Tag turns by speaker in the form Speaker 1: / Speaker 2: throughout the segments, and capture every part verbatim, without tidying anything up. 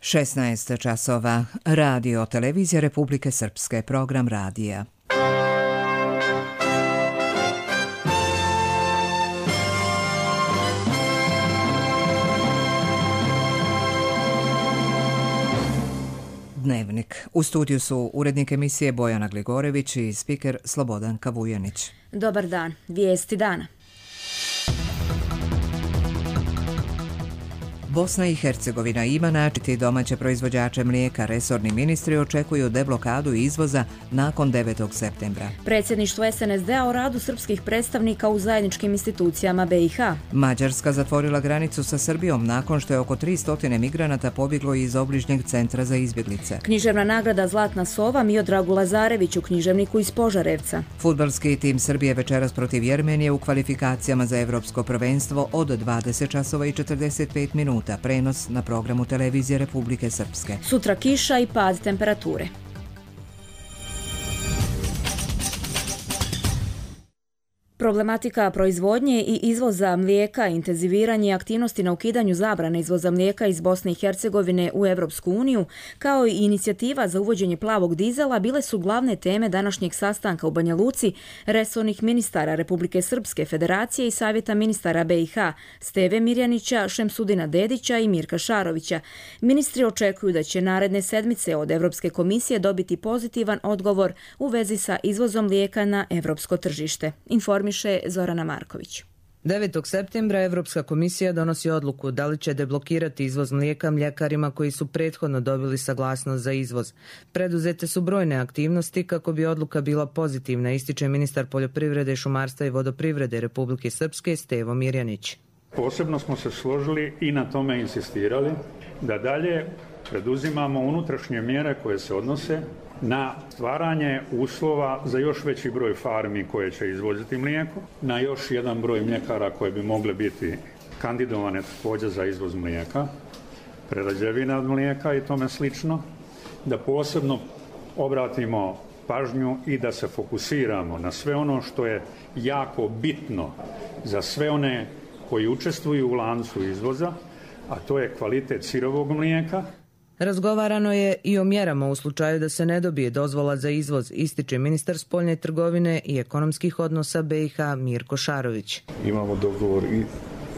Speaker 1: šesnaest časova. Radio Televizija Republike Srpske, program radija. Dnevnik. U studiju su urednik emisije Bojana Gligorević i spiker Slobodan Kavujanić.
Speaker 2: Dobar dan. Vijesti dana.
Speaker 1: Bosna i Hercegovina ima načiti domaće proizvođače mlijeka. Resorni ministri očekuju deblokadu izvoza nakon devetog septembra.
Speaker 2: Predsjedništvo es en es de a o radu srpskih predstavnika u zajedničkim institucijama be i ha.
Speaker 1: Mađarska zatvorila granicu sa Srbijom nakon što je oko tristo migranata pobjeglo iz obližnjeg centra za izbjeglice.
Speaker 2: Književna nagrada Zlatna sova Miodragu Lazareviću, književniku iz Požarevca.
Speaker 1: Fudbalski tim Srbije večeras protiv Jermenije u kvalifikacijama za evropsko prvenstvo od dvadeset časova i četrdeset pet minuta. Prenos na programu Televizije Republike Srpske.
Speaker 2: Sutra kiša i pad temperature. Problematika proizvodnje i izvoza mlijeka, intenziviranje aktivnosti na ukidanju zabrane izvoza mlijeka iz Bosne i Hercegovine u Evropsku uniju, kao i inicijativa za uvođenje plavog dizela bile su glavne teme današnjeg sastanka u Banja Luci resornih ministara Republike Srpske, Federacije i Savjeta ministara be i ha, Steve Mirjanića, Šemsudina Dedića i Mirka Šarovića. Ministri očekuju da će naredne sedmice od Evropske komisije dobiti pozitivan odgovor u vezi sa izvozom mlijeka na evropsko tržište. Informiše Zorana Marković.
Speaker 3: devetog septembra Evropska komisija donosi odluku da li će deblokirati izvoz mlijeka mljekarima koji su prethodno dobili saglasnost za izvoz. Preduzete su brojne aktivnosti kako bi odluka bila pozitivna, ističe ministar poljoprivrede, šumarstva i vodoprivrede Republike Srpske Stevo Mirjanić.
Speaker 4: Posebno smo se složili i na tome insistirali da dalje preduzimamo unutrašnje mjere koje se odnose na stvaranje uslova za još veći broj farmi koje će izvoziti mlijeko, na još jedan broj mljekara koje bi mogle biti kandidovane također za izvoz mlijeka, prerađevina od mlijeka i tome slično, da posebno obratimo pažnju i da se fokusiramo na sve ono što je jako bitno za sve one koji učestvuju u lancu izvoza, a to je kvalitet sirovog mlijeka.
Speaker 3: Razgovarano je i o mjerama u slučaju da se ne dobije dozvola za izvoz, ističe ministar spoljne trgovine i ekonomskih odnosa be i ha Mirko Šarović.
Speaker 5: Imamo dogovor i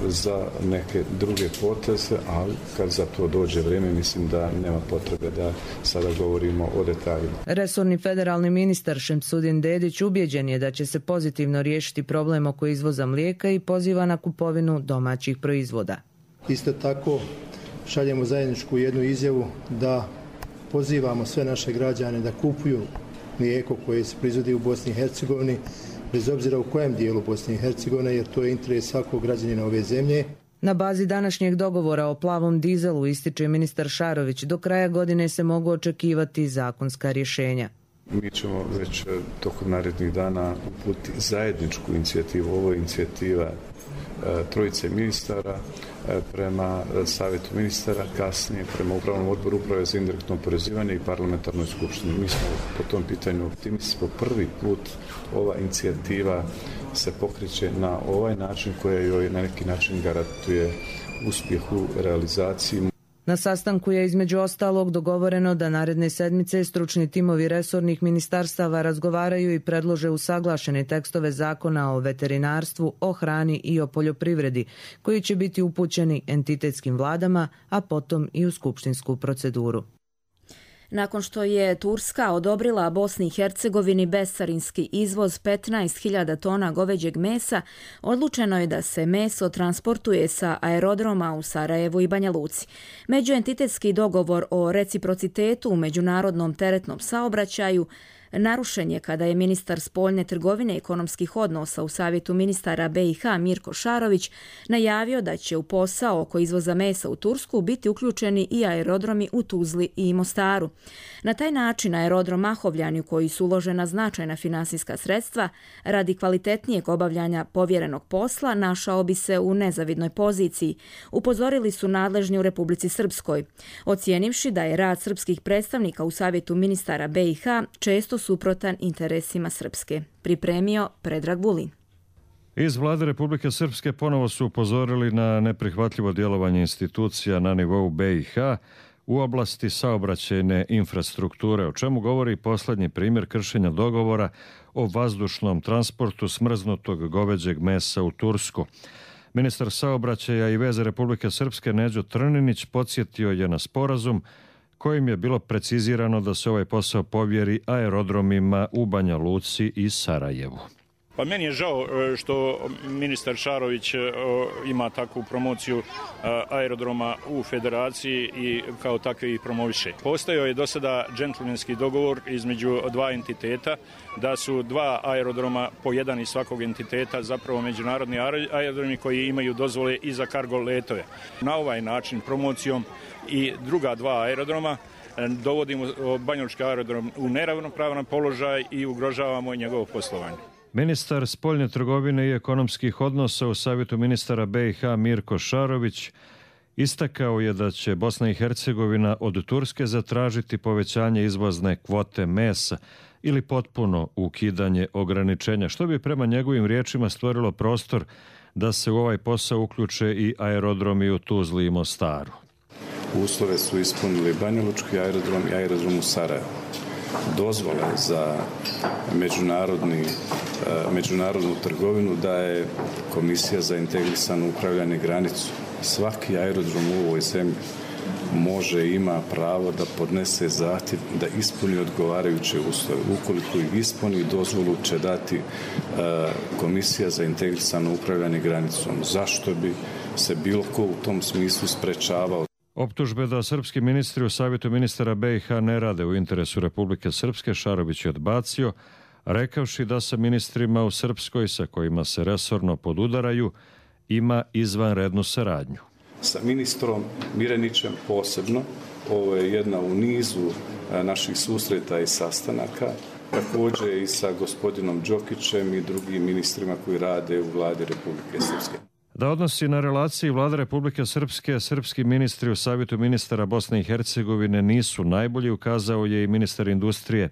Speaker 5: za neke druge poteze, ali kad za to dođe vrijeme, mislim da nema potrebe da sada govorimo o detaljima.
Speaker 3: Resorni federalni ministar Šemsudin Dedić ubjeđen je da će se pozitivno riješiti problem oko izvoza mlijeka i poziva na kupovinu domaćih proizvoda.
Speaker 6: Isto tako šaljemo zajedničku jednu izjavu da pozivamo sve naše građane da kupuju mlijeko koje se proizvodi u Bosni i Hercegovini, bez obzira u kojem dijelu Bosne i Hercegovine, jer to je interes svakog građanina ove zemlje.
Speaker 3: Na bazi današnjeg dogovora o plavom dizelu, ističe ministar Šarović, do kraja godine se mogu očekivati zakonska rješenja.
Speaker 5: Mi ćemo već tokom narednih dana uputiti zajedničku inicijativu. Ovo je inicijativa trojice ministara prema savjetu ministara, kasnije prema upravnom odboru uprave za indirektno oporezivanje i parlamentarnoj skupštini. Mi smo po tom pitanju optimisti. Po prvi put ova inicijativa se pokreće na ovaj način koja joj na neki način garantuje uspjeh u realizaciji.
Speaker 3: Na sastanku je između ostalog dogovoreno da naredne sedmice stručni timovi resornih ministarstava razgovaraju i predlože usaglašene tekstove zakona o veterinarstvu, o hrani i o poljoprivredi, koji će biti upućeni entitetskim vladama, a potom i u skupštinsku proceduru.
Speaker 2: Nakon što je Turska odobrila Bosni i Hercegovini bescarinski izvoz petnaest hiljada tona goveđeg mesa, odlučeno je da se meso transportuje sa aerodroma u Sarajevu i Banja Luci. Međuentitetski dogovor o reciprocitetu u međunarodnom teretnom saobraćaju narušen je kada je ministar spoljne trgovine i ekonomskih odnosa u Savjetu ministara be i ha Mirko Šarović najavio da će u posao oko izvoza mesa u Tursku biti uključeni i aerodromi u Tuzli i Mostaru. Na taj način aerodrom Mahovljani, u koji su uložena značajna finansijska sredstva, radi kvalitetnijeg obavljanja povjerenog posla, našao bi se u nezavidnoj poziciji, upozorili su nadležni u Republici Srpskoj, ocijenivši da je rad srpskih predstavnika u Savjetu ministara be i ha često suprotan interesima Srpske. Pripremio Predrag Vulin.
Speaker 7: Iz vlade Republike Srpske ponovo su upozorili na neprihvatljivo djelovanje institucija na nivou be i ha u oblasti saobraćajne infrastrukture, o čemu govori posljednji primjer kršenja dogovora o vazdušnom transportu smrznutog goveđeg mesa u Tursku. Ministar saobraćaja i veze Republike Srpske Neđo Trninić podsjetio je na sporazum kojim je bilo precizirano da se ovaj posao povjeri aerodromima u Banja Luci i Sarajevu.
Speaker 8: Pa meni je žao što ministar Šarović ima takvu promociju aerodroma u federaciji i kao takve ih promoviše. Postojao je do sada džentlmenski dogovor između dva entiteta da su dva aerodroma po jedan iz svakog entiteta zapravo međunarodni aerodromi koji imaju dozvole i za kargo letove. Na ovaj način promocijom i druga dva aerodroma dovodimo banjalučki aerodrom u neravnopravan položaj i ugrožavamo njegovo poslovanje.
Speaker 7: Ministar spoljne trgovine i ekonomskih odnosa u Savjetu ministara B i H Mirko Šarović istakao je da će Bosna i Hercegovina od Turske zatražiti povećanje izvozne kvote mesa ili potpuno ukidanje ograničenja, što bi prema njegovim riječima stvorilo prostor da se u ovaj posao uključe i aerodromi u Tuzli i Mostaru.
Speaker 5: Uslove su ispunili banjalučki aerodrom i aerodrom u Sarajevu. Dozvole za međunarodni, međunarodnu trgovinu daje Komisija za integrisano upravljanje granicu. Svaki aerodrom u ovoj zemlji može i ima pravo da podnese zahtjev da ispuni odgovarajuće uslove. Ukoliko ih ispuni, dozvolu će dati Komisija za integrisano upravljanje granicom. Zašto bi se bilo ko u tom smislu sprečavao?
Speaker 7: Optužbe da srpski ministri u Savjetu ministara B i H ne rade u interesu Republike Srpske Šarović je odbacio, rekavši da sa ministrima u Srpskoj sa kojima se resorno podudaraju ima izvanrednu saradnju.
Speaker 5: Sa ministrom Mirenićem posebno, ovo je jedna u nizu naših susreta i sastanaka, također i sa gospodinom Đokićem i drugim ministrima koji rade u vladi Republike Srpske.
Speaker 7: Da odnosi na relaciji Vlade Republike Srpske, srpski ministri u Savjetu ministara Bosne i Hercegovine nisu najbolji, ukazao je i ministar industrije,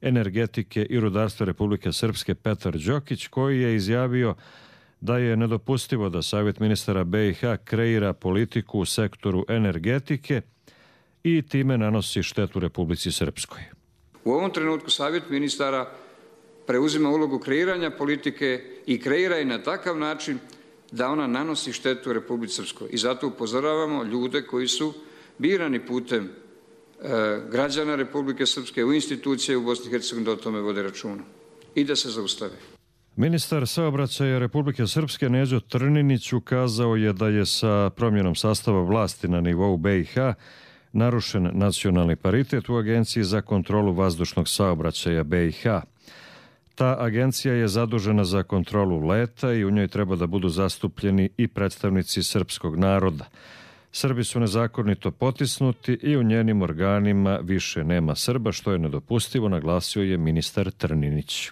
Speaker 7: energetike i rudarstva Republike Srpske Petar Đokić, koji je izjavio da je nedopustivo da Savjet ministara B i H kreira politiku u sektoru energetike i time nanosi štetu Republici Srpskoj.
Speaker 9: U ovom trenutku Savjet ministara preuzima ulogu kreiranja politike i kreira je na takav način da ona nanosi štetu Republici Srpskoj. I zato upozoravamo ljude koji su birani putem e, građana Republike Srpske u institucije u Bosni i Hercegovini da o tome vode računa i da se zaustave.
Speaker 7: Ministar saobraćaja Republike Srpske Neđo Trninić ukazao je da je sa promjenom sastava vlasti na nivou B i H narušen nacionalni paritet u Agenciji za kontrolu vazdušnog saobraćaja B i H. Ta agencija je zadužena za kontrolu leta i u njoj treba da budu zastupljeni i predstavnici srpskog naroda. Srbi su nezakonito potisnuti i u njenim organima više nema Srba, što je nedopustivo, naglasio je ministar Trninić.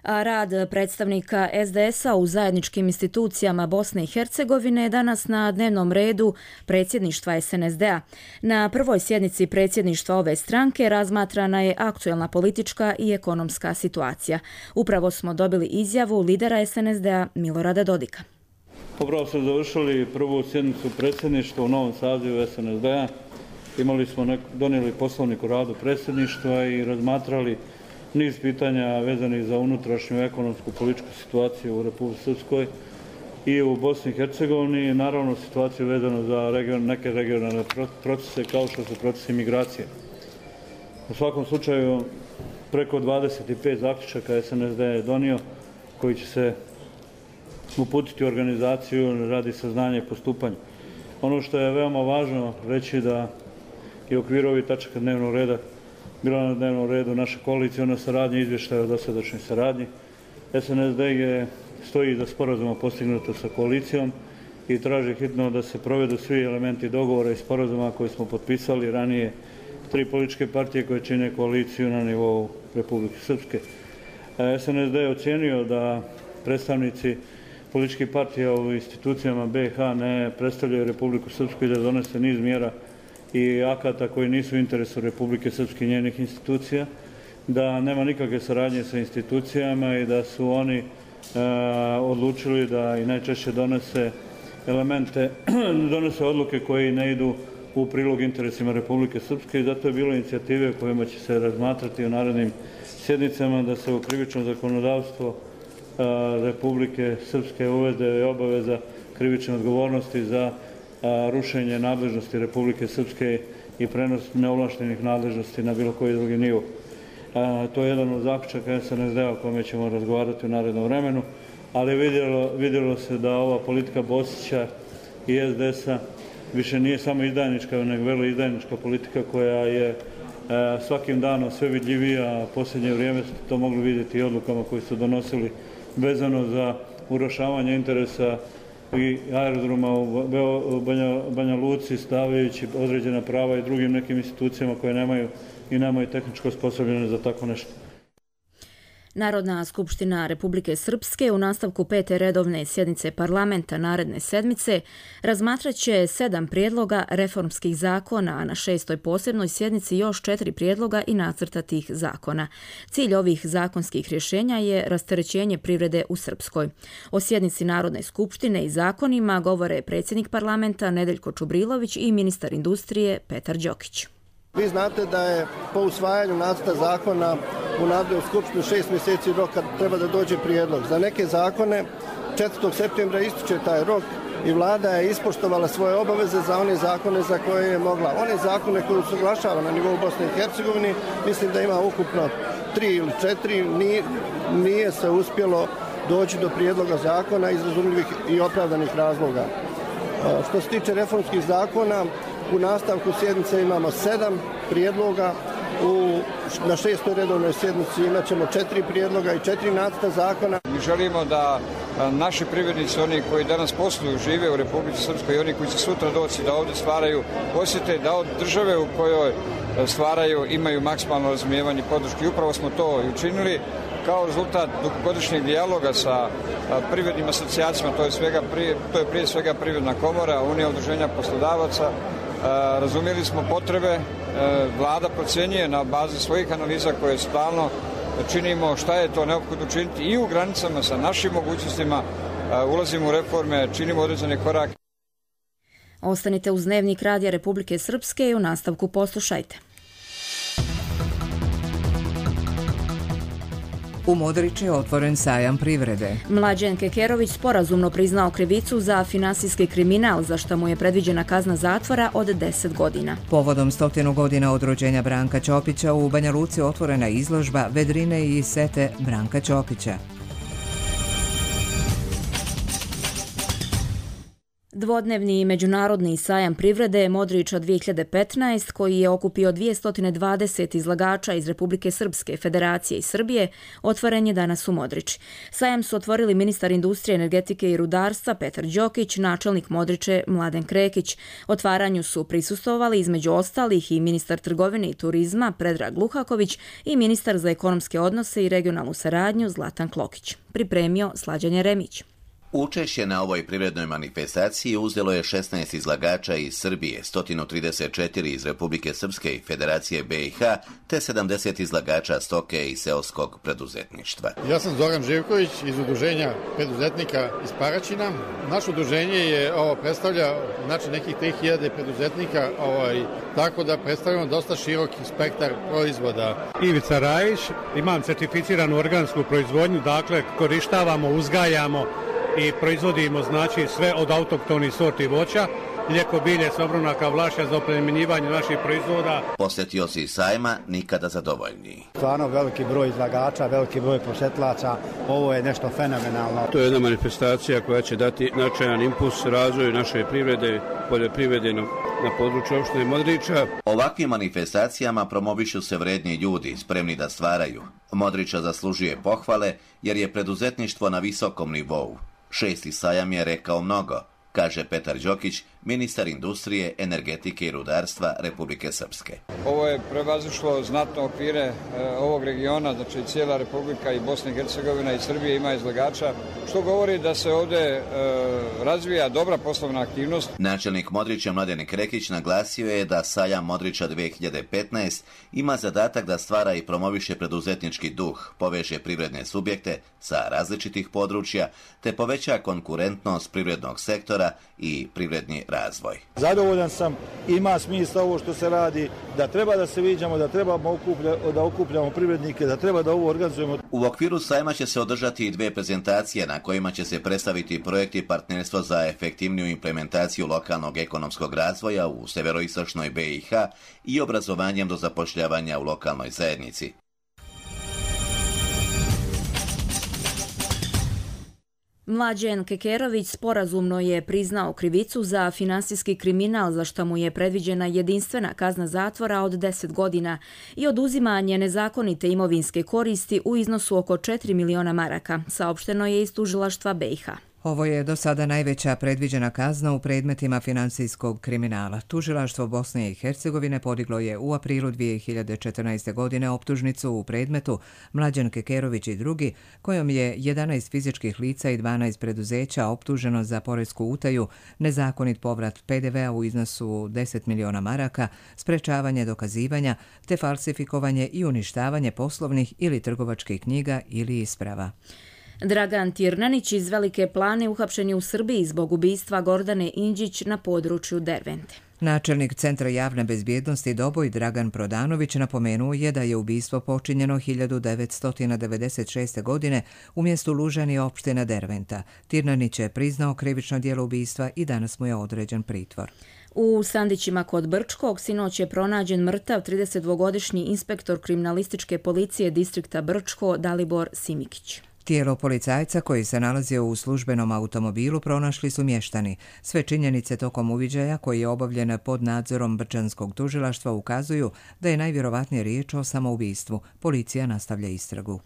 Speaker 2: A rad predstavnika S D S-a u zajedničkim institucijama Bosne i Hercegovine je danas na dnevnom redu predsjedništva S N S D-a. Na prvoj sjednici predsjedništva ove stranke razmatrana je aktuelna politička i ekonomska situacija. Upravo smo dobili izjavu lidera S N S D-a Milorada Dodika.
Speaker 10: Upravo smo završili prvu sjednicu predsjedništva u novom sazivu S N S D-a. Imali smo nek- donijeli poslovnik o radu predsjedništva i razmatrali niz pitanja vezanih za unutrašnju ekonomsku političku situaciju u Republici Srpskoj i u Bosni i Hercegovini, naravno situaciju vezanu za region, neke regionalne procese kao što su procesi migracije. U svakom slučaju preko dvadeset pet zaključaka S N S D je donio koji će se uputiti u organizaciju radi saznanja i postupanja. Ono što je veoma važno reći da je u okviru ovih tačaka dnevnog reda bila na dnevnom redu naša koalicijona saradnja i izvještaja o dosadašnjoj saradnji. S N S D je stoji iza sporazuma postignuto sa koalicijom i traži hitno da se provedu svi elementi dogovora i sporazuma koji smo potpisali ranije tri političke partije koje čine koaliciju na nivou Republike Srpske. S N S D je ocijenio da predstavnici političkih partija u institucijama B i H ne predstavljaju Republiku Srpsku i da donese niz mjera i akata koji nisu u interesu Republike Srpske i njenih institucija, da nema nikakve saradnje sa institucijama i da su oni e, odlučili da i najčešće donese elemente, donese odluke koji ne idu u prilog interesima Republike Srpske i zato je bilo inicijative kojima će se razmatrati u narednim sjednicama da se u krivično zakonodavstvo Republike Srpske uvede obaveza krivične odgovornosti za rušenje nadležnosti Republike Srpske i prenos neovlaštenih nadležnosti na bilo koji drugi nivo. To je jedan od zaključaka S N S D-a o kome ćemo razgovarati u narednom vremenu, ali vidjelo, vidjelo se da ova politika Bosića i S D S-a više nije samo izdajnička, nego velo izdajnička politika koja je svakim danom sve vidljivija, a posljednje vrijeme ste to mogli vidjeti i odlukama koje su donosili vezano za urušavanje interesa i aerodroma u Banja, Banja Luci, stavljajući određena prava i drugim nekim institucijama koje nemaju i nemaju tehničko osposobljene za tako nešto.
Speaker 2: Narodna skupština Republike Srpske u nastavku pete redovne sjednice parlamenta naredne sedmice razmatraće sedam prijedloga reformskih zakona, a na šestoj posebnoj sjednici još četiri prijedloga i nacrta tih zakona. Cilj ovih zakonskih rješenja je rasterećenje privrede u Srpskoj. O sjednici Narodne skupštine i zakonima govore predsjednik parlamenta Nedeljko Čubrilović i ministar industrije Petar Đokić.
Speaker 11: Vi znate da je po usvajanju nacrta zakona u Narodnoj skupštini šest mjeseci rok kad treba da dođe prijedlog. Za neke zakone četvrtog septembra ističe taj rok i vlada je ispoštovala svoje obaveze za one zakone za koje je mogla. One zakone koje usaglašava na nivou Bosne i Hercegovine, mislim da ima ukupno tri ili četiri, nije, nije se uspjelo doći do prijedloga zakona iz razumljivih i opravdanih razloga. Što se tiče reformskih zakona, u nastavku sjednice imamo sedam prijedloga, u, na šestoj redovnoj sjednici imat ćemo četiri prijedloga i četiri nacrta zakona.
Speaker 9: Mi želimo da naši privrednici, oni koji danas posluju, žive u Republici Srpskoj i oni koji će sutra doći da ovdje stvaraju, osjete da od države u kojoj stvaraju imaju maksimalno razumijevanje i podrške. I upravo smo to i učinili kao rezultat dugogodišnjeg dijaloga sa privrednim asocijacijama, to je, svega prije, to je prije svega Privredna komora, Unija udruženja poslodavaca. Razumjeli smo potrebe, vlada procjenjuje na bazi svojih analiza koje stalno činimo šta je to neophodno učiniti i u granicama sa našim mogućnostima, ulazimo u reforme, činimo određene korake.
Speaker 2: Ostanite uz Dnevnik Radija Republike Srpske i u nastavku poslušajte.
Speaker 1: U Modriču je otvoren sajam privrede.
Speaker 2: Mlađen Kekerović sporazumno priznao krivicu za finansijski kriminal, za što mu je predviđena kazna zatvora od deset godina.
Speaker 1: Povodom stotinu godina od rođenja Branka Ćopića u Banja Luci otvorena izložba Vedrine i sete Branka Ćopića.
Speaker 2: Dvodnevni međunarodni sajam privrede Modriča dvije hiljade petnaest, koji je okupio dvjesto dvadeset izlagača iz Republike Srpske, Federacije i Srbije, otvoren je danas u Modriči. Sajam su otvorili ministar industrije, energetike i rudarstva Petar Đokić, načelnik Modriče Mladen Krekić. Otvaranju su prisustvovali između ostalih i ministar trgovine i turizma Predrag Luhaković i ministar za ekonomske odnose i regionalnu saradnju Zlatan Klokić. Pripremio Slađan Jeremić.
Speaker 12: Učešće na ovoj privrednoj manifestaciji uzelo je šesnaest izlagača iz Srbije, sto trideset četiri iz Republike Srpske i Federacije B i H, te sedamdeset izlagača stoke i seoskog preduzetništva.
Speaker 13: Ja sam Zoran Živković iz udruženja preduzetnika iz Paraćina. Naše udruženje je ovo predstavlja znači nekih tri hiljade preduzetnika, ovaj, tako da predstavljamo dosta široki spektar proizvoda.
Speaker 14: Ivica Rajić, imam certificiranu organsku proizvodnju, dakle korištavamo, uzgajamo i proizvodimo znači sve od autohtonih sorti voća, mlijeko, bilje, sobronaka, vlašća za oplemenjivanje naših proizvoda.
Speaker 12: Posjetioci sajma nikada zadovoljniji.
Speaker 15: Stvarno veliki broj izlagača, veliki broj posjetilaca, ovo je nešto fenomenalno.
Speaker 16: To je jedna manifestacija koja će dati značajan impuls razvoju naše privrede, poljoprivrede na, na području opštine Modriča.
Speaker 12: Ovakvim manifestacijama promovišu se vredni ljudi, spremni da stvaraju. Modriča zaslužuje pohvale jer je preduzetništvo na visokom nivou. Šesti sajam je rekao mnogo, kaže Petar Đokić, ministar industrije, energetike i rudarstva Republike Srpske.
Speaker 9: Ovo je prevazišlo znatno okvire e, ovog regiona, znači cijela Republika i Bosna i Hercegovina i Srbije ima izlagača, što govori da se ovdje e, razvija dobra poslovna aktivnost.
Speaker 12: Načelnik Modriča Mladen Krekić naglasio je da sajam Modriča dvije hiljade petnaest ima zadatak da stvara i promoviše preduzetnički duh, poveže privredne subjekte sa različitih područja, te poveća konkurentnost privrednog sektora mjera i privredni razvoj.
Speaker 17: Zadovoljan sam, ima smisla ovo što se radi, da treba da se viđamo, da trebamo okuplja, da okupljamo privrednike, da treba da ovo organizujemo.
Speaker 12: U okviru sajma će se održati i dve prezentacije na kojima će se predstaviti projekti partnerstva za efektivniju implementaciju lokalnog ekonomskog razvoja u severoistočnoj B i H i obrazovanjem do zapošljavanja u lokalnoj zajednici.
Speaker 2: Mlađen Kekerović sporazumno je priznao krivicu za finansijski kriminal za što mu je predviđena jedinstvena kazna zatvora od deset godina i oduzimanje nezakonite imovinske koristi u iznosu oko četiri miliona maraka, saopšteno je iz tužilaštva B i H.
Speaker 1: Ovo je do sada najveća predviđena kazna u predmetima finansijskog kriminala. Tužilaštvo Bosne i Hercegovine podiglo je u aprilu dvije hiljade četrnaeste. godine optužnicu u predmetu Mlađan Kekerović i drugi, kojom je jedanaest fizičkih lica i dvanaest preduzeća optuženo za poresku utaju, nezakonit povrat P D V-a u iznosu deset miliona maraka, sprečavanje dokazivanja, te falsifikovanje i uništavanje poslovnih ili trgovačkih knjiga ili isprava.
Speaker 2: Dragan Tirnanić iz Velike Plane uhapšen je u Srbiji zbog ubistva Gordane Inđić na području Dervente.
Speaker 1: Načelnik Centra javne bezbjednosti Doboj Dragan Prodanović napomenuo je da je ubistvo počinjeno hiljadu devetsto devedeset šeste. godine u mjestu Lužani opština Derventa. Tirnanić je priznao krivično djelo ubistva i danas mu je određen pritvor.
Speaker 2: U Sandićima kod Brčkog sinoć je pronađen mrtav tridesetdvogodišnji inspektor kriminalističke policije distrikta Brčko Dalibor Simikić.
Speaker 1: Tijelo policajca koji se nalazio u službenom automobilu pronašli su mještani. Sve činjenice tokom uviđaja koji je obavljen pod nadzorom Brčanskog tužilaštva ukazuju da je najvjerovatnije riječ o samoubistvu. Policija nastavlja istragu.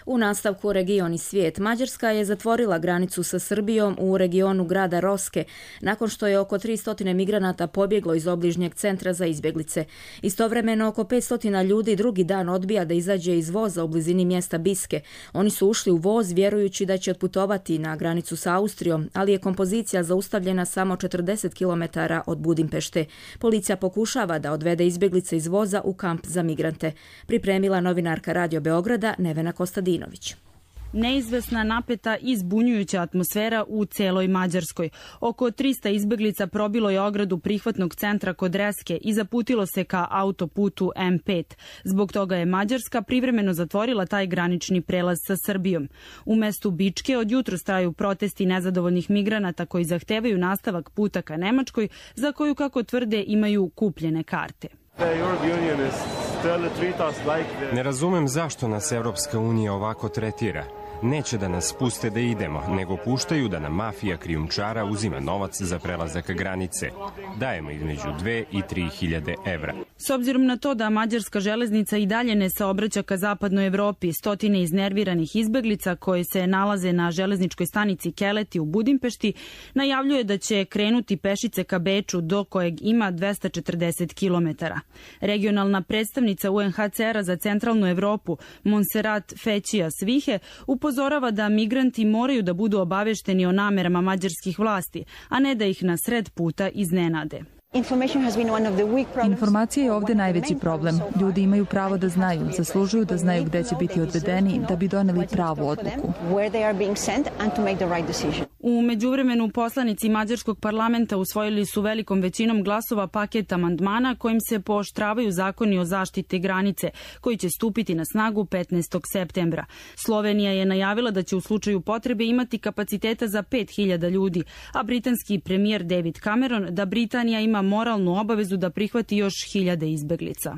Speaker 2: U nastavku region i svijet, Mađarska je zatvorila granicu sa Srbijom u regionu grada Roske nakon što je oko tristo migranata pobjeglo iz obližnjeg centra za izbjeglice. Istovremeno oko petsto ljudi drugi dan odbija da izađe iz voza u blizini mjesta Biske. Oni su ušli u voz vjerujući da će otputovati na granicu sa Austrijom, ali je kompozicija zaustavljena samo četrdeset kilometara od Budimpešte. Policija pokušava da odvede izbjeglice iz voza u kamp za migrante. Pripremila novinarka Radio Beograda Nevena Kostadinović.
Speaker 18: Neizvesna, napeta i zbunjujuća atmosfera u celoj Mađarskoj. Oko trista izbjeglica probilo je ogradu prihvatnog centra kod Reske i zaputilo se ka autoputu M pet. Zbog toga je Mađarska privremeno zatvorila taj granični prelaz sa Srbijom. U mestu Bičke od jutros traju protesti nezadovoljnih migranata koji zahtevaju nastavak puta ka Nemačkoj, za koju, kako tvrde, imaju kupljene karte.
Speaker 19: Ne razumem zašto nas Evropska unija ovako tretira. Neće da nas puste da idemo, nego puštaju da nam mafija krijumčara uzima novac za prelazak granice. Dajemo između dve i tri hiljade evra.
Speaker 18: S obzirom na to da mađarska železnica i dalje ne saobraća ka zapadnoj Evropi, stotine iznerviranih izbeglica koje se nalaze na železničkoj stanici Keleti u Budimpešti najavljuje da će krenuti pešice ka Beču, do kojeg ima dvesta četrdeset kilometara. Regionalna predstavnica U N H C R-a za centralnu Evropu, Monserrat Fećija Svihe, upozorava da migranti moraju da budu obavešteni o namerama mađarskih vlasti, a ne da ih na sred puta iznenade.
Speaker 20: Informacija je ovdje najveći problem. Ljudi imaju pravo da znaju, zaslužuju da znaju gdje će biti odvedeni da bi doneli pravu odluku.
Speaker 18: U međuvremenu poslanici mađarskog parlamenta usvojili su velikom većinom glasova paket amandmana kojim se pooštravaju zakoni o zaštiti granice, koji će stupiti na snagu petnaestog septembra. Slovenija je najavila da će u slučaju potrebe imati kapaciteta za pet hiljada ljudi, a britanski premijer David Cameron da Britanija ima moralnu obavezu da prihvati još hiljade izbeglica.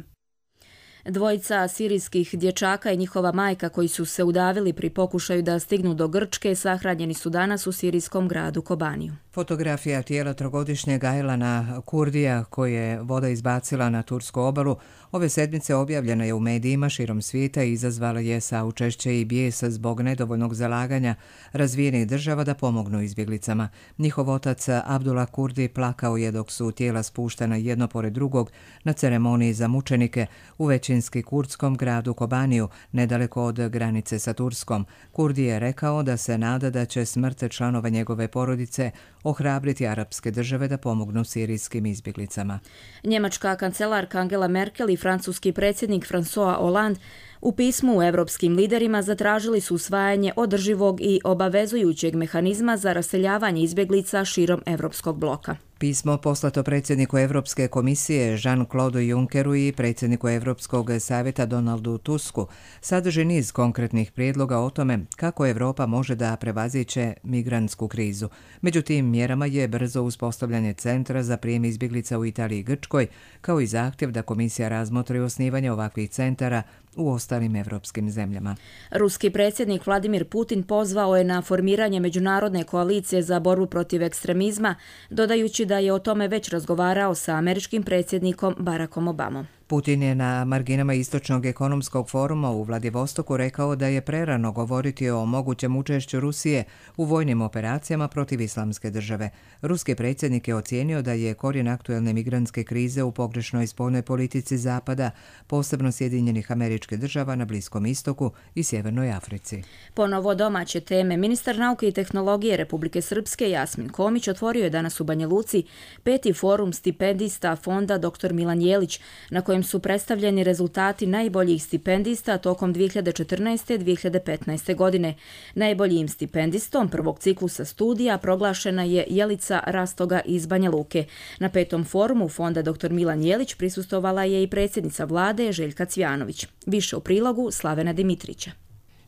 Speaker 2: Dvojica sirijskih dječaka i njihova majka koji su se udavili pri pokušaju da stignu do Grčke sahranjeni su danas u sirijskom gradu Kobaniju.
Speaker 1: Fotografija tijela trogodišnjeg Aylana Kurdija koje je voda izbacila na tursku obalu ove sedmice objavljena je u medijima širom svijeta i izazvala je saučešće i bijes zbog nedovoljnog zalaganja razvijenih država da pomognu izbjeglicama. Njihov otac Abdullah Kurdi plakao je dok su tijela spuštena jedno pored drugog na ceremoniji za mučenike u većinski kurdskom gradu Kobaniju, nedaleko od granice sa Turskom. Kurdi je rekao da se nada da će smrt članova njegove porodice ohrabriti arapske države da pomognu sirijskim izbjeglicama.
Speaker 2: Njemačka kancelarka Angela Merkel i francuski predsjednik François Hollande U pismu evropskim liderima zatražili su usvajanje održivog i obavezujućeg mehanizma za raseljavanje izbjeglica širom evropskog bloka.
Speaker 1: Pismo poslato predsjedniku Europske komisije Jean-Claude Junckeru i predsjedniku Europskog savjeta Donaldu Tusku sadrži niz konkretnih prijedloga o tome kako Europa može da prevaziće migrantsku krizu. Među tim mjerama je brzo uspostavljanje centra za prijem izbjeglica u Italiji i Grčkoj, kao i zahtjev da komisija razmotri osnivanje ovakvih centara u ostalim evropskim zemljama.
Speaker 2: Ruski predsjednik Vladimir Putin pozvao je na formiranje međunarodne koalicije za borbu protiv ekstremizma, dodajući da je o tome već razgovarao sa američkim predsjednikom Barackom Obamom.
Speaker 1: Putin je na marginama Istočnog ekonomskog foruma u Vladivostoku rekao da je prerano govoriti o mogućem učešću Rusije u vojnim operacijama protiv Islamske države. Ruski predsjednik je ocijenio da je korijen aktuelne migrantske krize u pogrešnoj spoljnoj politici Zapada, posebno Sjedinjenih Američkih Država na Bliskom istoku i Sjevernoj Africi.
Speaker 2: Ponovo domaće teme. Ministar nauke i tehnologije Republike Srpske Jasmin Komić otvorio je danas u Banja Luci peti forum stipendista fonda doktor Milan Jelić, na kojem su predstavljeni rezultati najboljih stipendista tokom dvije hiljade četrnaeste. do dvije hiljade petnaeste. godine. Najboljim stipendistom prvog ciklusa studija proglašena je Jelica Rastoga iz Banja Luke. Na petom forumu fonda doktor Milan Jelić prisustvovala je i predsjednica vlade Željka Cvjanović. Više u prilogu Slavena Dimitrića.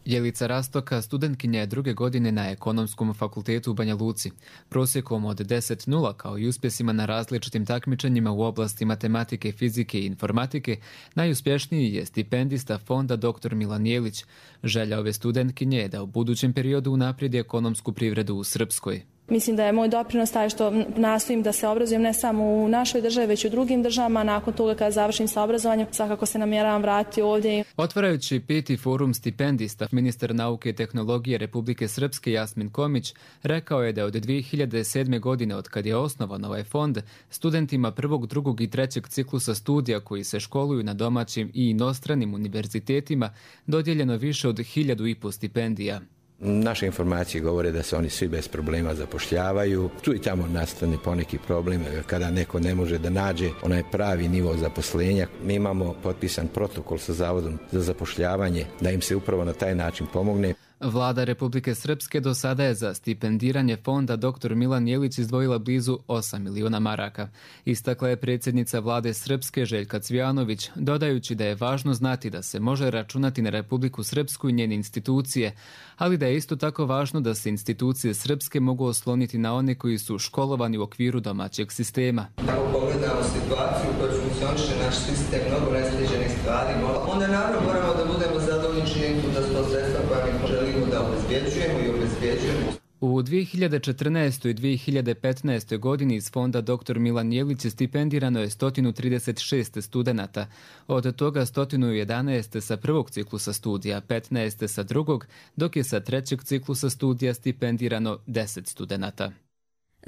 Speaker 21: Jelica Rastoka studentkinja je druge godine na Ekonomskom fakultetu u Banja Luci. Prosjekom od deset zarez nula kao i uspjesima na različitim takmičenjima u oblasti matematike, fizike i informatike, najuspješniji je stipendista fonda doktor Milan Jelić. Želja ove studentkinje je da u budućem periodu unaprijedi ekonomsku privredu u Srpskoj.
Speaker 22: Mislim da je moj doprinos taj što nastojim da se obrazujem ne samo u našoj državi, već i u drugim državama. Nakon toga kada završim sa obrazovanjem, svakako se namjeravam vratiti ovdje.
Speaker 21: Otvarajući peti forum stipendista, ministar nauke i tehnologije Republike Srpske Jasmin Komić rekao je da od dvije hiljade sedme. godine, od kad je osnovan ovaj fond, studentima prvog, drugog i trećeg ciklusa studija koji se školuju na domaćim i inostranim univerzitetima dodijeljeno više od hiljadu i po stipendija.
Speaker 23: Naše informacije govore da se oni svi bez problema zapošljavaju. Tu i tamo nastane poneki problem kada neko ne može da nađe onaj pravi nivo zaposlenja. Mi imamo potpisan protokol sa Zavodom za zapošljavanje da im se upravo na taj način pomogne.
Speaker 21: Vlada Republike Srpske do sada je za stipendiranje fonda doktor Milan Jelić izdvojila blizu osam miliona maraka. Istakla je predsjednica vlade Srpske Željka Cvjanović, dodajući da je važno znati da se može računati na Republiku Srpsku i njene institucije, ali da je isto tako važno da se institucije Srpske mogu osloniti na one koji su školovani u okviru domaćeg sistema.
Speaker 24: Ako pogledamo situaciju u kojoj funkcioniše naš sistem, mnogo nesređenih stvari, onda naravno moramo da budemo zadovoljni činjenicom da su to sredstva koja mi želimo da obezbjeđujemo i obezbjeđujemo.
Speaker 21: U dvije hiljade četrnaestoj. i dvije hiljade petnaestoj. godini iz fonda doktor Milan Jelić stipendirano je sto trideset šest studenata, od toga sto jedanaest sa prvog ciklusa studija, petnaest sa drugog, dok je sa trećeg ciklusa studija stipendirano deset studenata.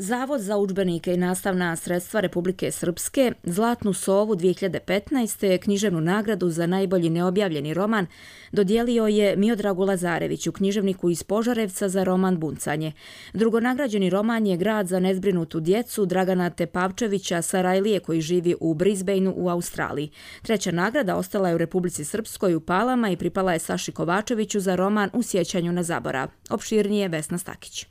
Speaker 2: Zavod za udžbenike i nastavna sredstva Republike Srpske Zlatnu sovu dvije hiljade petnaeste. književnu nagradu za najbolji neobjavljeni roman dodijelio je Miodragu Lazareviću, književniku iz Požarevca, za roman Buncanje. Drugonagrađeni roman je Grad za nezbrinutu djecu Dragana Tepavčevića Sarajlije, koji živi u Brisbaneu u Australiji. Treća nagrada ostala je u Republici Srpskoj u Palama i pripala je Saši Kovačeviću za roman U sjećanju na zaborav. Opširnije Vesna Stakić.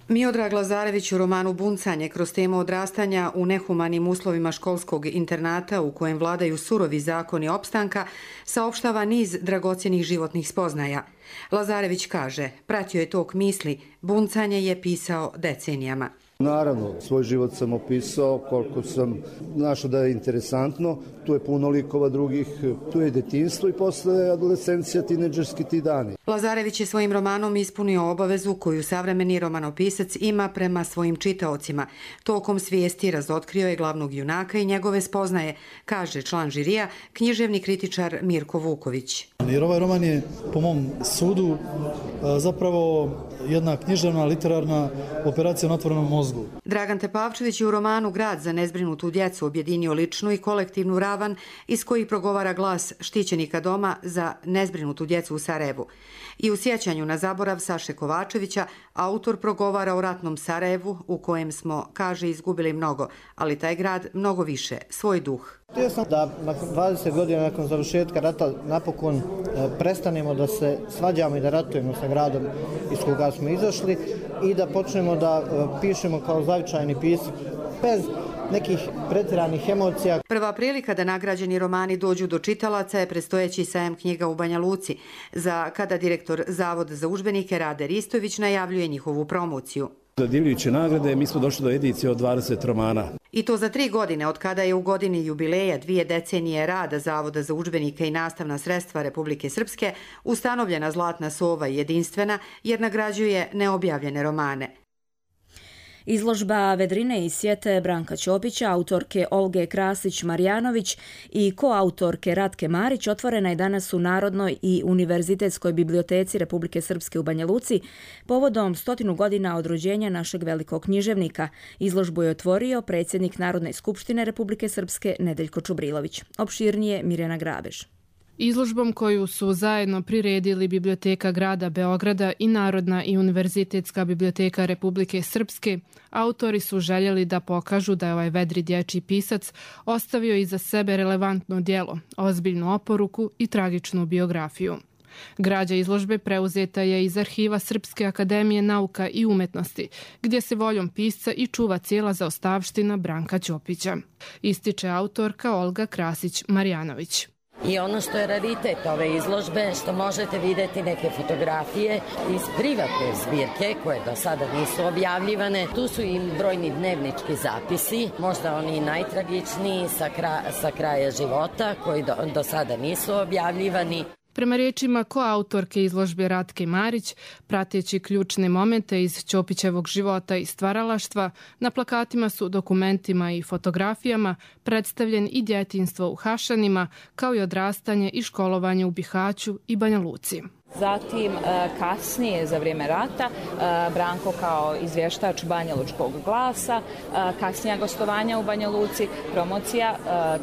Speaker 25: Miodrag Lazarević u romanu Buncanje kroz temu odrastanja u nehumanim uslovima školskog internata u kojem vladaju surovi zakoni opstanka saopštava niz dragocjenih životnih spoznaja. Lazarević kaže, pratio je tok misli, Buncanje je pisao decenijama.
Speaker 26: Naravno, svoj život sam opisao koliko sam našao da je interesantno. Tu je puno likova drugih, tu je detinjstvo i posle adolescencija, tineđerski ti dani.
Speaker 25: Lazarević je svojim romanom ispunio obavezu koju savremeni romanopisac ima prema svojim čitaocima. Tokom svijesti razotkrio je glavnog junaka i njegove spoznaje, kaže član žirija, književni kritičar Mirko Vuković.
Speaker 27: Jer ovaj roman je, po mom sudu, zapravo
Speaker 3: jedna književna, literarna operacija na otvorenom mozgu.
Speaker 25: Dragan Tepavčević je u romanu Grad za nezbrinutu djecu objedinio ličnu i kolektivnu ravan iz kojih progovara glas štićenika doma za nezbrinutu djecu u Sarajevu. I u sjećanju na zaborav Saše Kovačevića autor progovara o ratnom Sarajevu u kojem smo, kaže, izgubili mnogo, ali taj grad mnogo više, svoj duh.
Speaker 4: Htio sam da nakon dvadeset godina nakon završetka rata napokon prestanemo da se svađamo i da ratujemo sa gradom iz koga smo izašli i da počnemo da pišemo kao zavičajni pisac bez nekih pretjeranih emocija.
Speaker 25: Prva prilika da nagrađeni romani dođu do čitalaca je predstojeći sajam knjiga u Banja Luci, za kada direktor Zavoda za udžbenike Rade Ristović najavljuje njihovu promociju.
Speaker 5: Dodjeljujući nagrade, mi smo došli do edicije od dvadeset romana.
Speaker 25: I to za tri godine, od kada je u godini jubileja dvije decenije rada Zavoda za udžbenike i nastavna sredstva Republike Srpske ustanovljena Zlatna sova jedinstvena jer nagrađuje neobjavljene romane.
Speaker 2: Izložba Vedrine i sjete Branka Ćopića, autorke Olge Krasić-Marjanović i koautorke Ratke Marić otvorena je danas u Narodnoj i Univerzitetskoj biblioteci Republike Srpske u Banja Luci povodom stotinu godina od rođenja našeg velikog književnika. Izložbu je otvorio predsjednik Narodne skupštine Republike Srpske Nedeljko Čubrilović. Opširnije Mirjana Grabež.
Speaker 6: Izložbom koju su zajedno priredili Biblioteka grada Beograda i Narodna i Univerzitetska biblioteka Republike Srpske, autori su željeli da pokažu da je ovaj vedri dječji pisac ostavio iza sebe relevantno djelo, ozbiljnu oporuku i tragičnu biografiju. Građa izložbe preuzeta je iz arhiva Srpske akademije nauka i umetnosti, gdje se voljom pisca i čuva cijela zaostavština Branka Ćopića, ističe autorka Olga Krasić-Marjanović.
Speaker 7: I ono što je raritet ove izložbe, što možete vidjeti neke fotografije iz privatne zbirke koje do sada nisu objavljivane. Tu su i brojni dnevnički zapisi, možda oni najtragičniji sa, kra, sa kraja života koji do, do sada nisu objavljivani.
Speaker 6: Prema riječima koautorke izložbe Ratke Marić, prateći ključne momente iz Ćopićevog života i stvaralaštva, na plakatima su dokumentima i fotografijama predstavljen i djetinjstvo u Hašanima, kao i odrastanje i školovanje u Bihaću i Banja Luci.
Speaker 8: Zatim kasnije za vrijeme rata Branko kao izvještač Banjalučkog glasa, kasnija gostovanja u Banja Luci, promocija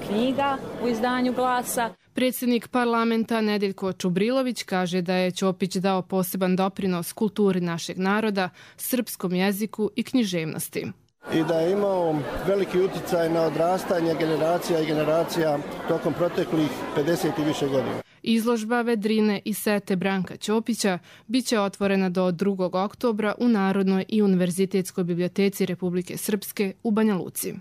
Speaker 8: knjiga u izdanju Glasa.
Speaker 6: Predsjednik parlamenta Nedeljko Čubrilović kaže da je Ćopić dao poseban doprinos kulturi našeg naroda, srpskom jeziku i književnosti.
Speaker 11: I da je imao veliki utjecaj na odrastanje generacija i generacija tokom proteklih pedeset i više godina.
Speaker 6: Izložba Vedrine i sete Branka Ćopića biće otvorena do drugog oktobra u Narodnoj i Univerzitetskoj biblioteci Republike Srpske u Banja Luci.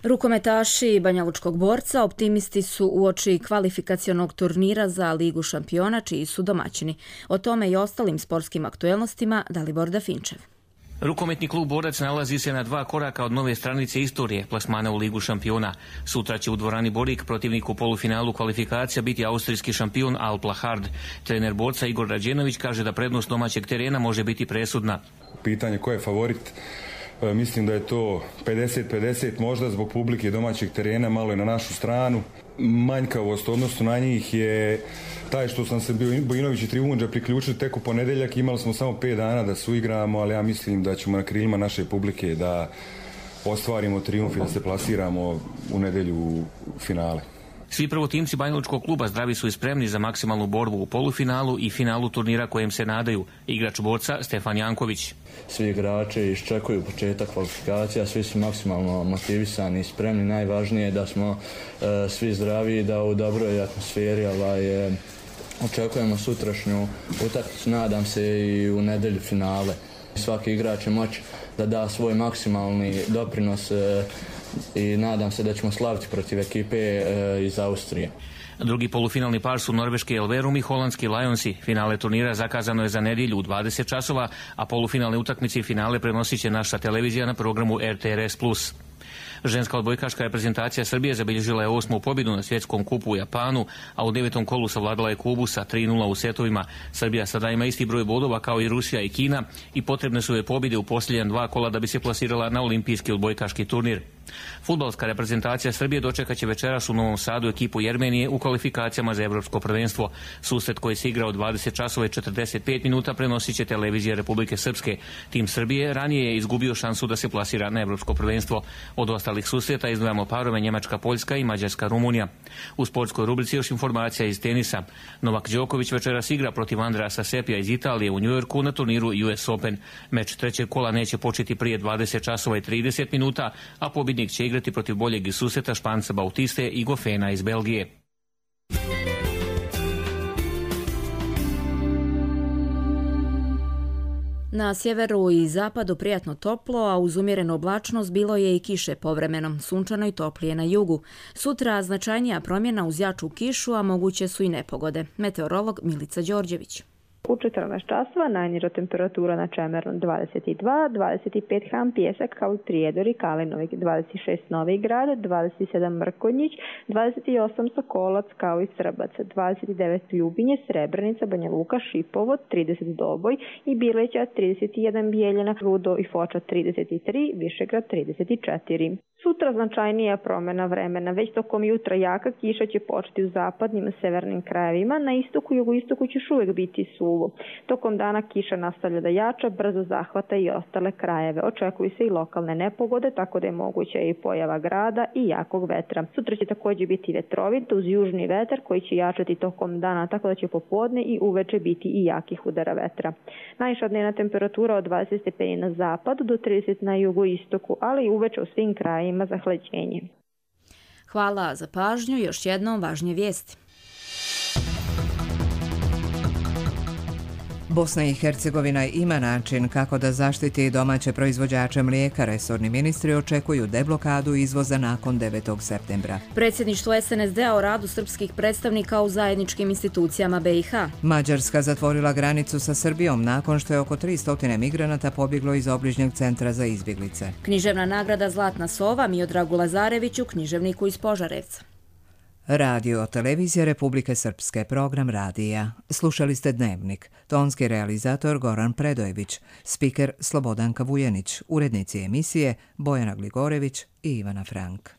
Speaker 2: Rukometaši Banjalučkog borca optimisti su uoči kvalifikacionog turnira za Ligu šampiona, čiji su domaćini. O tome i ostalim sportskim aktuelnostima Dalibor Dafinčev.
Speaker 27: Rukometni klub Borac nalazi se na dva koraka od nove stranice istorije plasmana u Ligu šampiona. Sutra će u dvorani Borik protivnik u polufinalu kvalifikacija biti austrijski šampion Al Plahard. Trener Borca Igor Rađenović kaže da prednost domaćeg terena može biti presudna.
Speaker 28: Pitanje ko je favorit? Mislim da je to pedeset pedeset, možda zbog publike domaćeg terena malo je na našu stranu. Manjkavost odnosno na njih je taj što sam se Bojinović i Trivundža priključili tek u ponedeljak. Imali smo samo pet dana da suigramo, ali ja mislim da ćemo na krilima naše publike da ostvarimo trijumf i da se plasiramo u nedjelju u finale.
Speaker 27: Svi prvotimci Banjalučkog kluba zdravi su i spremni za maksimalnu borbu u polufinalu i finalu turnira kojem se nadaju. Igrač Borca Stefan Janković.
Speaker 29: Svi igrači iščekuju početak kvalifikacija, svi su maksimalno motivisani i spremni. Najvažnije je da smo e, svi zdravi i da u dobroj atmosferi ovaj, e, očekujemo sutrašnju utakmicu, nadam se i u nedjelju finale. Svaki igrač će moći da da svoj maksimalni doprinos e, i nadam se da ćemo slaviti protiv ekipe e, iz Austrije.
Speaker 27: Drugi polufinalni par su norveški Elverum i holandski Lionsi. Finale turnira zakazano je za nedjelju u dvadeset časova, a polufinalne utakmice i finale prenosit će naša televizija na programu R T R S plus. Ženska odbojkaška reprezentacija Srbije zabilježila je osmu pobjedu na svjetskom kupu u Japanu, a u devetom kolu savladala je Kubu sa tri nula u setovima. Srbija sada ima isti broj bodova kao i Rusija i Kina i potrebne su joj pobjede u posljednja dva kola da bi se plasirala na olimpijski odbojkaški turnir. Fudbalska reprezentacija Srbije dočekaće večeras u Novom Sadu ekipu Jermenije u kvalifikacijama za evropsko prvenstvo. Susret koji se igra od dvadeset časova i četrdeset pet minuta prenosit će televizija Republike Srpske. Tim Srbije ranije je izgubio šansu da se plasira na evropsko prvenstvo. Od ostalih susreta izdvajamo parove Njemačka, Poljska i Mađarska, Rumunija. U sportskoj rubrici još informacija iz tenisa. Novak Đoković večeras igra protiv Andreasa Sepija iz Italije u Njujorku na turniru U S Open. Meč trećeg kola neće početi prije dvadeset časova i trideset minuta, a pobjednik će igrati protiv boljeg iz susreta Španca Bautiste i Gofena iz Belgije.
Speaker 2: Na sjeveru i zapadu prijatno toplo, a uz umjerenu oblačnost bilo je i kiše povremeno, sunčano i toplije na jugu. Sutra značajnija promjena uz jaču kišu, a moguće su i nepogode. Meteorolog Milica Đorđević.
Speaker 9: U četrnaest časova najniža temperatura na Čemernu dvadeset dva, dvadeset pet Han Pijesak kao Prijedor Kalinovik, dvadeset šest Novi Grad, dvadeset sedam Mrkonjić, dvadeset osam Sokolac kao i Srbac, dvadeset devet Ljubinje, Srebrenica, Banja Luka, Šipovo, trideset Doboj i Bileća, trideset jedan Bijeljina, Rudo i Foča trideset tri, Višegrad trideset četiri. Sutra značajnija promjena vremena. Već tokom jutra jaka kiša će početi u zapadnim i severnim krajevima. Na istoku i jugoistoku će još uvijek biti suvo. Tokom dana kiša nastavlja da jača, brzo zahvata i ostale krajeve. Očekuju se i lokalne nepogode, tako da je moguća i pojava grada i jakog vetra. Sutra će također biti vetrovit uz južni vetar koji će jačati tokom dana, tako da će popodne i uveče biti i jakih udara vetra. Najviša dnevna temperatura od dvadeset stepeni na zapadu do trideset na jugoistoku, ali i uveče u svim krajevima za hlađenje.
Speaker 2: Hvala za pažnju. Još jednom važnije vijesti.
Speaker 1: Bosna i Hercegovina ima način kako da zaštiti domaće proizvođače mlijeka. Resorni ministri očekuju deblokadu izvoza nakon devetog septembra.
Speaker 2: Predsjedništvo S N S D-a o radu srpskih predstavnika u zajedničkim institucijama B i H.
Speaker 1: Mađarska zatvorila granicu sa Srbijom nakon što je oko tristo migranata pobjeglo iz obližnjeg centra za izbjeglice.
Speaker 2: Književna nagrada Zlatna sova Miodragu Lazareviću, književniku iz Požarevca.
Speaker 1: Radio televizija Republike Srpske, program radija. Slušali ste Dnevnik. Tonski realizator Goran Predojević, spiker Slobodanka Vujenić, urednici emisije Bojana Gligorević i Ivana Frank.